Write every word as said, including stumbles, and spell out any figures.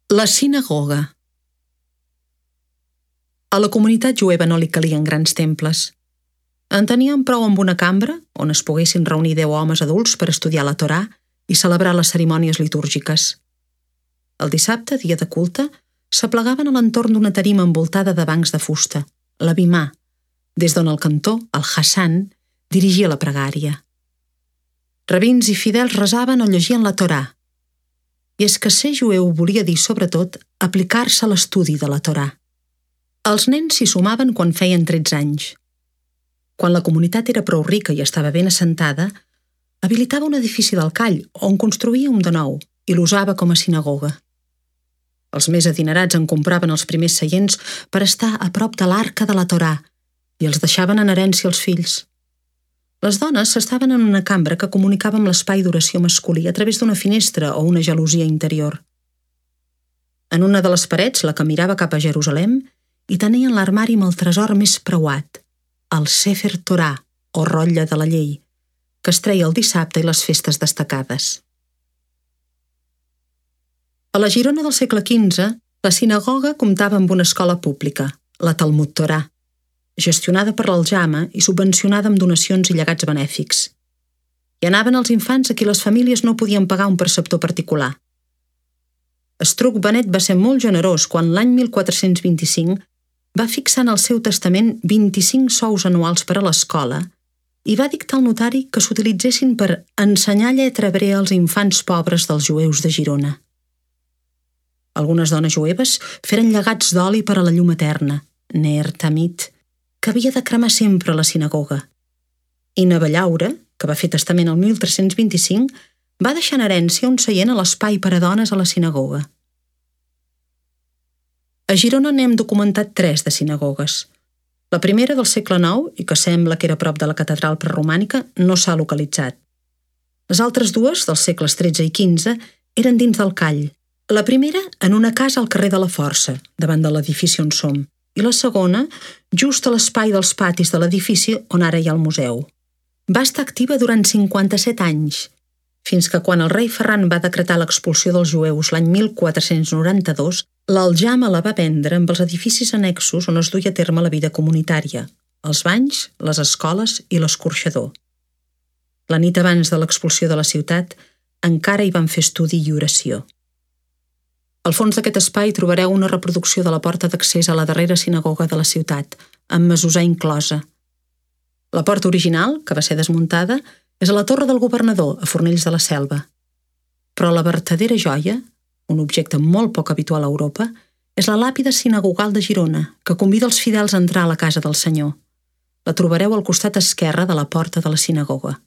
La sinagoga. A la comunitat jueva no li calien grans temples. En tenien prou amb una cambra on es poguessin reunir deu homes adults per estudiar la Torà i celebrar les cerimònies litúrgiques. El dissabte, dia de culte, s'aplegaven a l'entorn d'una tarima envoltada de bancs de fusta, la bimà, des d'on el cantor, el Hassan, dirigia la pregària. Rabins i fidels resaven o llegien la Torà. I és que ser jueu volia dir, sobretot, aplicar-se a l'estudi de la Torà. Els nens s'hi sumaven quan feien tretze anys. Quan la comunitat era prou rica i estava ben assentada, habilitava un edifici del call on construïa un de nou i l'usava com a sinagoga. Els més adinerats en compraven els primers seients per estar a prop de l'arca de la Torà i els deixaven en herència als fills. Les dones s'estaven en una cambra que comunicava amb l'espai d'oració masculí a través d'una finestra o una gelosia interior. En una de les parets, la que mirava cap a Jerusalem, hi tenien l'armari amb el tresor més preuat, el Sefer Torà, o rotlle de la llei, que es treia el dissabte i les festes destacades. A la Girona del segle quinze, la sinagoga comptava amb una escola pública, la Talmud Torà, gestionada per l'Aljama i subvencionada amb donacions i llegats benèfics. Hi anaven els infants a qui les famílies no podien pagar un preceptor particular. Estruc Benet va ser molt generós quan l'any mil quatre-cents vint-i-cinc va fixar en el seu testament vint-i-cinc sous anuals per a l'escola i va dictar al notari que s'utilitzessin per ensenyar lletra hebrea als infants pobres dels jueus de Girona. Algunes dones jueves feren llegats d'oli per a la llum eterna, Ner Tamid, que havia de cremar sempre a la sinagoga. I Naballaura, que va fer testament el mil tres-cents vint-i-cinc, va deixar en herència un seient a l'espai per a dones a la sinagoga. A Girona n'hem documentat tres de sinagogues. La primera del segle nou, i que sembla que era prop de la catedral preromànica, no s'ha localitzat. Les altres dues, dels segles tretze i quinze, eren dins del call. La primera en una casa al carrer de la Força, davant de l'edifici on som, i la segona just a l'espai dels patis de l'edifici on ara hi ha el museu. Va estar activa durant cinquanta-set anys, fins que quan el rei Ferran va decretar l'expulsió dels jueus l'any mil quatre-cents noranta-dos, l'Aljama la va vendre amb els edificis annexos on es duia a terme la vida comunitària, els banys, les escoles i l'escorxador. La nit abans de l'expulsió de la ciutat encara hi van fer estudi i oració. Al fons d'aquest espai trobareu una reproducció de la porta d'accés a la darrera sinagoga de la ciutat, amb mesusar inclosa. La porta original, que va ser desmuntada, és a la Torre del Governador, a Fornells de la Selva. Però la vertadera joia, un objecte molt poc habitual a Europa, és la làpida sinagogal de Girona, que convida els fidels a entrar a la casa del Senyor. La trobareu al costat esquerre de la porta de la sinagoga.